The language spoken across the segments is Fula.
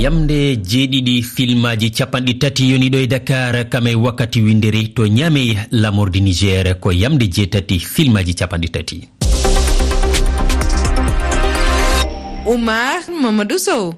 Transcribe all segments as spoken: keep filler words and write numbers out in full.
Yamde jeeɗiɗi filmaaji capanɗe tati yoni ɗo e Dakar, kam e wakkati winndere to Niamey, lamordi Niger ko yamde jeetati filmaaji capanɗe tati. Oumar Mamadou Sow.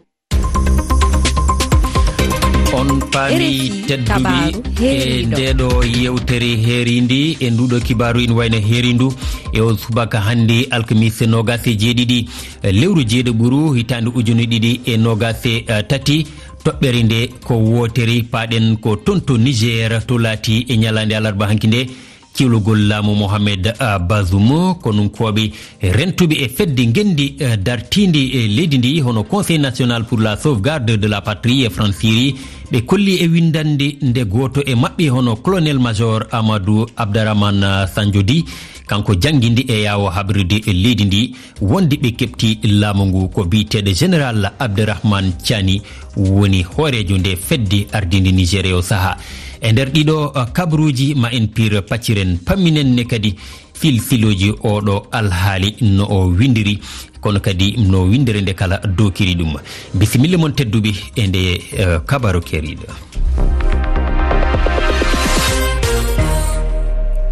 On paami R F I tedduɓe kabaaru e heeriiɗo. Ndeeɗo yewtere heerindi e nduɗo kibaaru ina wayno heerindu e o subaka hannde alkamisa noogas e jeeɗiɗi lewru jeeɗiɓuru hitaande ujune ɗiɗi e noogas e tati. Toɓɓere nde ko wootere, paaɗen ko toon to Niger, to laati e ñalaande alarba hanki nde, ciwlugol laamu Mohamed, ah, Bazoum, konunkooɓe rentuɓe e fedde ngenndi, eh, dartiindi e leydi ndi, hono Conseil National pour la Sauvegarde de la Patrie e Fransiri, ɓe kolli e winndannde nde gooto e maɓɓe, hono Colonel Major Amadou Abdarahmane, ah, Sanjodi, kanko janngindi e yaawo habrude e leydi ndi, wonde ɓe keɓti laamu ngu ko biyeteeɗo Général Abderrahmane Tiani woni hooreejo nde fedde ardiinde Niger e o sahaa. E nder ɗiɗo, uh, kabaruuji ma en pir pacciren pamminen ne kadi filfilooji oɗo alhaali no o winndiri, kono kadi no winndere nde kala dookiri ɗum. Bisimilla mon tedduɓe e nde, uh, kabaru keeriiɗo.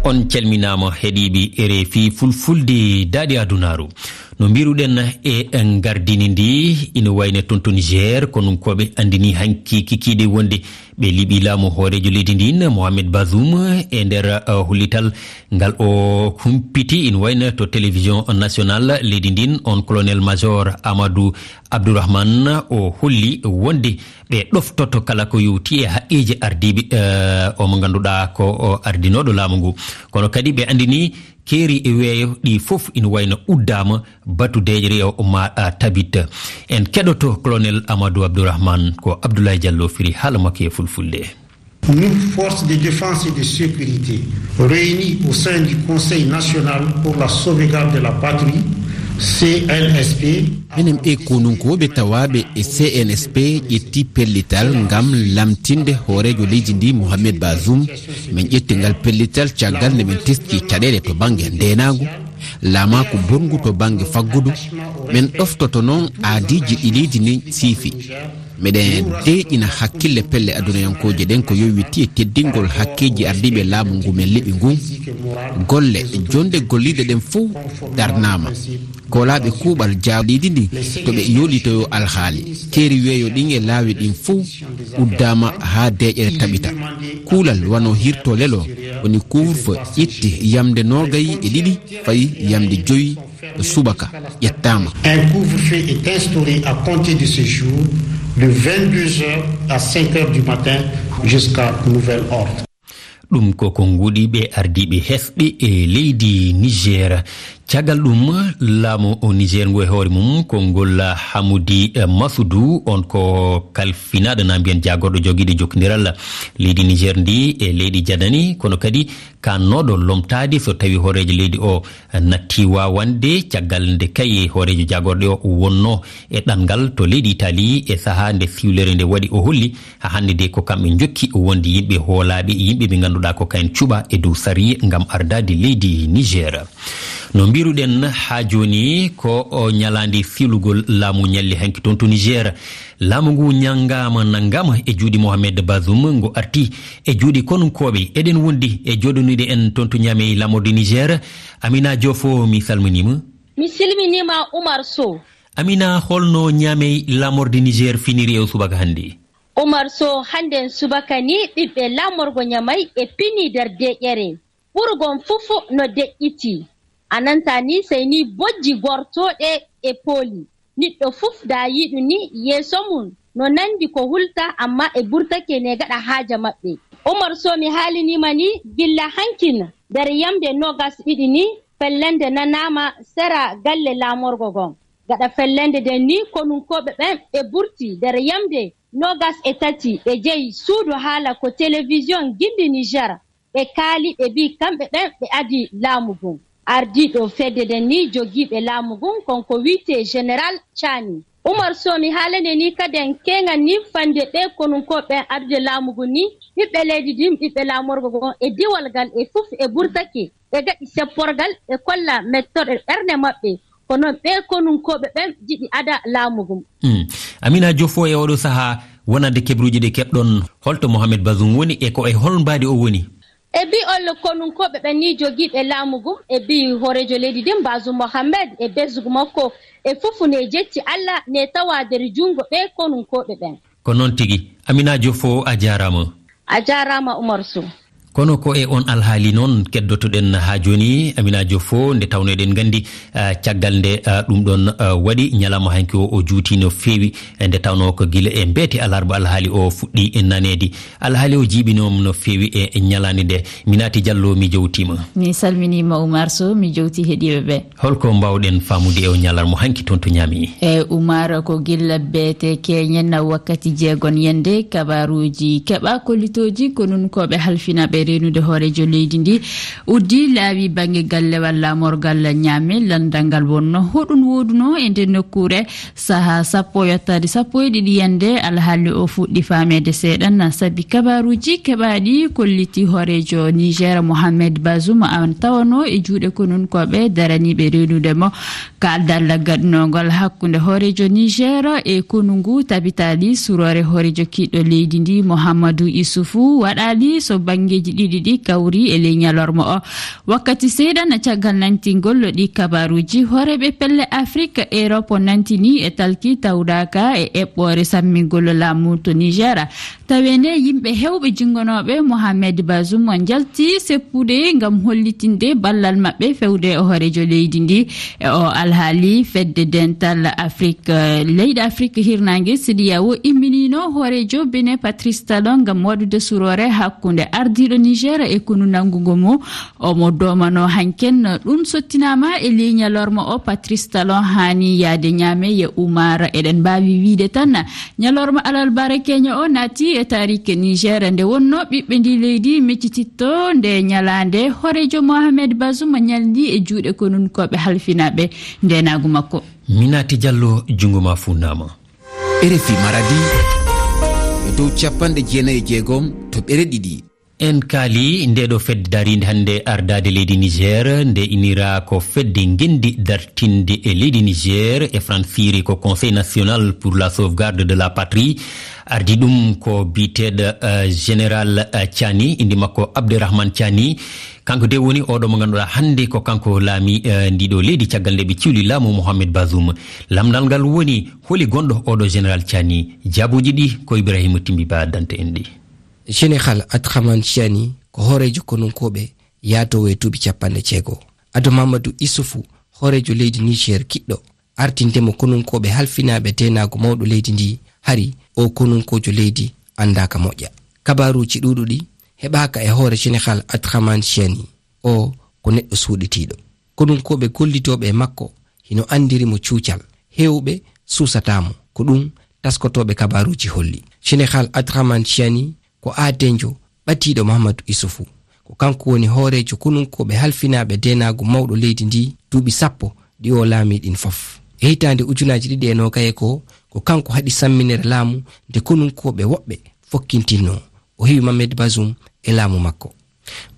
On calminaama heɗiiɓe R F I Fulfulde Daade Adunaaru. No mbiruɗen e ngardini ndi, ina wayno toon to Niger, konunkooɓe anndini hanki kikiiɗe wonde ɓe liɓi laamu hooreejo leydi ndin, Mohamed Bazoum, e nder, uh, hollital ngal o humpiti, ina wayno to télévision nationale leydi ndin, on colonel major Amadou Abdourahmane, o holli wonde ɓe ɗoftoto kala ko yowti e haqqeeji ardiiɓe, uh, o mo ngannduɗaa ko o ardinooɗo laamu ngu. Kono kadi ɓe anndini keeri e weeyo ɗi fof ina wayno uddaama, batu deeƴre o ma, a, tabit. En keɗoto Colonel Amadou Abdourahmane, ko Abdoulaye Diallo firi haala makko e fulfulde. Nous, forces de défense et de sécurité, réunies au sein du Conseil national pour la sauvegarde de la patrie, C N S P, minen ɓe konunkooɓe tawaaɓe e C N S P ƴetti pellital ngam lamtinde hooreejo leydi ndi, Mohamed Bazoum. Min ƴetti ngal pellital caggal nde min teski caɗeele to bannge ndeenaagu, laamaaku bonngu to bannge faggudu. Min ɗoftoto noon aadiiji ɗi leydi ndi siifi. Miɗen deeƴina hakkille pelle adunayankooje ɗen ko yowiti e teddingol hakkeeji ardiiɓe laamu ngu min liɓi ngun. Golle, jonnde golliiɗe ɗen fof darnaama. Koolaaɓe kuuɓal jaaɓiiɗi ndi to ɓe yoolitoyo alhaali. Keeri weeyo ɗin e laawi ɗin fof uddaama haa deeƴere taɓita. Kuulal wano hirto lelo woni couvre-feu ƴetti yamde noogay e ɗiɗi fayi yamde joyi subaka ƴettaama. Un couvre-feu est instauré à compter de ce jour, de vingt-deux heures à cinq heures du matin, jusqu'à nouvel ordre. Ɗum ko ko nguɗi ɓe ardiiɓe hesɓe e leydi Niger. Caggal ɗum, laamu o Niger ngu e hoore mum, ko ngol Hamudi, eh, Masudu, on ko kalfinaaɗo, na mbiyen jaagorɗo jogiiɗo jokkondiral leydi Niger ndi e leydi Jadani, kono kadi kaannooɗo lomtaade so tawi hooreejo leydi o natti waawande, caggal nde kay hooreejo jaagorɗe o wonnoo e ɗanngal to leydi Itali e sahaa nde siwlere nde waɗi, o holli haa hannde de ko kamɓe njokki wonde yimɓe hoolaaɓe, yimɓe ɓe ngannduɗaa ko kayen cuɓa e dow sariya ngam ardaade leydi Niger. No mbiruɗen haa jooni ko o ñalaande siwlugol laamu ñalli hanki toon to Niger. Laamu ngu ñanngaama, nanngaama e juuɗe Mohamed Bazoum, ngu arti e juuɗe konunkooɓe. Eɗen wondi e jooɗonude en toon to Niamey, laamorde Niger. Amina Diofo, mi salminiima. Mi salminiima, Oumar Sow. Amina, holno Niamey, laamorde Niger, finiri e o subaka hannde? Oumar Sow, hannden subaka ni, ɓiɓɓe laamorgo Niamey e pini nder deeƴere. Ɓurgol fof no deƴƴiti. A nanta ni, sey ni bojji gortooɗe e pooli. Niɗɗo fof da yiɗu ni yeeso mum no nandi ko hulta, amma e burtake ne gaɗa haaja maɓɓe. Oumar Sow, mi haaliniima ni gilla hankin nder yamde noogas ɗiɗi ni, fellende nanaama sera galle laamorgo gon. Gaɗa fellende nden ni, konunkooɓe ɓen ɓe burti nder yamde noogas e tati, ɓe jeyi suudu haala ko télévision Gindi Niger. Ɓe kaali, ɓe mbii kamɓe ɓen ɓe adii laamu ngun. Ardiiɗo fedde nden ni jogiiɓe laamu ngun, kon ko wi'etee Général Tchani. Oumar Sow, mi haalane ni kaden keeŋan ni fande ɓee konunkooɓe ɓen adude laamu ngun ni, ɓiɓɓe leydi ndin, ɓiɓɓe laamorgo ngon e diiwal ngal e fof e burtake. Ɓe gaɗi sepporgal, ɓe kolla mettorɗe ɓernde maɓɓe. Ko non ɓee konunkooɓe ɓen jiɗi ada laamu ngun. Mm. Amina Jofo, e oɗo sahaa, wonande keɓruuji ɗi keɓɗon, holto Mohamed Bazoum woni e ko e hol mbaadi o woni? E bi olle konunkooɓe ɓen ni jogiiɓe laamu ngun, e bi hooreejo leydi ndin, Bazoum Mohamed, e besngu makko, e fufu ne jecci Alla ne tawa nder junngo ɓee konunkooɓe ɓen. Ko noon tigi. Amina Jofo, a jaaraama. A jaaraama, Umar Sow. Kono ko e on alhaali noon keddotoɗen haa jooni, Amina Jofo, nde tawno eɗen nganndi, ah, caggal nde, ah, ɗum ɗon, ah, waɗi, ñalawma hanki o, o juuti no feewi, e nde tawno ko gila e mbeete alarba alhaali o fuɗɗi e naneede. Alhaali o jiiɓinoom no feewi e, e ñalaande nde. Minati Diallo, mi jowtiima. Mi salminiima, Umar Sow, mi jowti heɗiiɓe ɓe. Holko mbaawɗen faamude e o ñalarma hanki toon to Ñaami? E Umar, ko gila beete keñen wakkati jeegon yende kabaruuji keɓa kollitooji konunkooɓe halfinaaɓe reenude hooreejo leydi ndi uddi laawi bannge gallewal laamorgal Ñaame. Lanndal ngal wonno hoɗum woodunoo e nden nokkuure sahaa sappo yottaade sappo e ɗiɗi yende. Alhaali o fuɗɗi faameede seeɗan sabi kabaruuji keɓaaɗi kolliti hooreejo Niger Mohamed Bazoum an tawanoo e juuɗe konunkooɓe daraniiɓe reenude mo. Kaaldal gaɗnoongal hakkunde hooreejo Niger e konu ngu tabitaali suroore hooreejo kiiɗɗo leydi ndi Mohamadou Issoufou waɗaali so banngeeji ɗiɗi ɗi kawri e ley ñalorma o. Wakkati seeɗan caggal nantingol ɗi kabaruuji, hooreeɓe pelle Afrik, Erop nantini e talki tawdaaka e eɓɓoore sammingol laamu to Niger. Tawee nde yimɓe heewɓe jinngonooɓe Mohamed Bazoum njalti seppude ngam hollitinde ballal maɓɓe fewde e hooreejo leydi ndi. E o alhaali, fedde dental Afrik, eh, leyɗe Afrik hirnaange, CEDEAO, imminiino hooreejo Benin Patrice Talon ngam waɗude suroore hakkunde ardiiɗo Niger e konu nanngungo mo. Omo doomano hanken ɗum sottinaama e ley ñalorma o, Patrice Talon haani yaade Ñaame. Ye Umar, eɗen mbaawi wiide tan, ñalorma alarba keño o naati e taariike Niger, nde wonno ɓiɓɓe ndi leydi miccititto nde ñalaande hooreejo Mohamed Bazoum ñalli e juuɗe konunkooɓe halfinaaɓe ndeenaagu makko. Minati Diallo, junngo ma fuunnaama. R F I Maradi, e dow capanɗe jeenayi e jeegom toɓɓere ɗiɗi. En kaali nde ɗo fedde dariinde hannde ardaade leydi Niger, nde inira ko fedde ngenndi dartinde e leydi Niger, e Fransiri ko Conseil National pour la Sauvegarde de la Patrie. Ardi ɗum ko biyeteeɗo, eh, Général, eh, Tiani, innde makko Abderrahmane Tiani. Kanko de woni oɗo mo ngannduɗaa hannde ko kanko laami, eh, ndiɗo leydi caggal nde ɓe ciwli laamu Mohamed Bazoum. Lamndal ngal woni, holi gonɗo oɗo Général Tiani? Jaabuuji ɗi ko Ibrahima Timbi Ba addanta en ɗi. Général Abderrahmane Tiani ko hooreejo konunkooɓe yaatoowo e duuɓi capanɗe jeego. Ado Mamadou Issoufou, hooreejo leydi Niger kiɗɗo, artinde mo konunkooɓe halfinaaɓe deenaagu mawɗo leydi ndi, hari o konunkoojo leydi anndaaka moƴƴa. Kabaaruuji ɗuuɗuɗi heɓaaka e hoore Général Abderrahmane Tiani. O ko neɗɗo suuɗitiiɗo. Konunkooɓe gollidooɓe e makko hino anndiri mo cuucal. Heewɓe suusataa mo. Ko ɗum taskotooɓe kabaaruuji holli. Général Abderrahmane Tiani ko aadeejo ɓadiiɗo Mahamadou Issoufou. Ko kanko woni hooreejo konunkooɓe halfinaaɓe deenaagu mawɗo leydi ndi duuɓi sappo ɗi o laamii ɗin fof. E hitaande ujunaaji ɗiɗi e noogay e ko, ko kanko haɗi samminere laamu nde konunkooɓe woɓɓe fokkintinnoo. O hewi Mohamed Bazoum e laamu makko.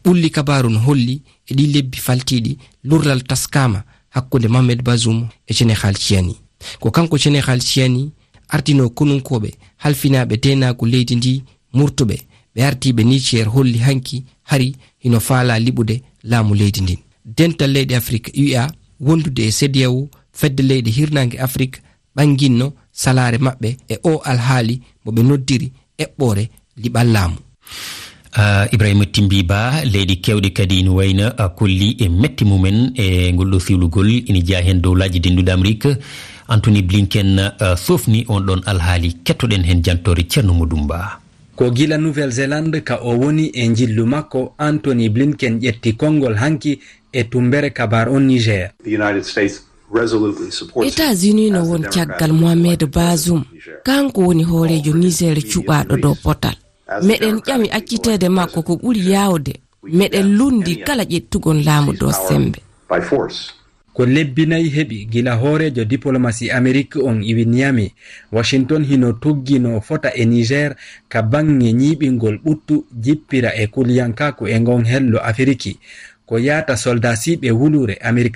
Ɓulli kabaaru no holli e ɗii lebbi faltiiɗi, lurral taskaama hakkunde Mohamed Bazoum e Général Tiani. Ko kanko Général Tiani ardinoo konunkooɓe halfinaaɓe deenaagu leydi ndi murtuɓe, ɓe ardiiɓe Niger holli hanki hari hino faalaa liɓude laamu leydi ndin. Dental leyɗe Afrik, U E A, wondude e CEDEAO, fedde leyɗe hirnaange Afrik, ɓannginno salaare maɓɓe e oo alhaali mo ɓe noddiri eɓɓoore liɓal laamu. Ah, Ibrahima Timbi Ba, leyɗe keewɗe kadi ina wayno, ah, kolli e mette mumen e ngol ɗoo siwlugol, ina jeyaa heen dowlaaji dennduɗi Amerik. Anthony Blinken, ah, sofni on ɗon alhaali. Kettoɗen heen jantoore Ceerno Modou Mba. Ko gila Nouvelle-Zélande ka o woni e njillu makko, Anthony Blinken ƴetti konngol hanki e tumbere kabaar on Niger. The United States resolutely supports États-Unis no as the won Democrats caggal Mohamed Bazoum. Kanko woni hooreejo Niger cuɓaaɗo dow potal. Meɗen ƴami acciteede makko ko ɓuri yaawde. Meɗen lundi kala ƴettugol laamu dow sembe. By force. Ko lebbi nayi heɓi gila hooreejo diplomasi Amerik on iwi Niamey. Washington hino tuggi no fota e Niger ka baŋŋe ñiiɓingol ɓuttu, jippira e kuliyankaaku e ngon hello Afiriki. Ko yaata soldaasiiɓe wuluure Amerik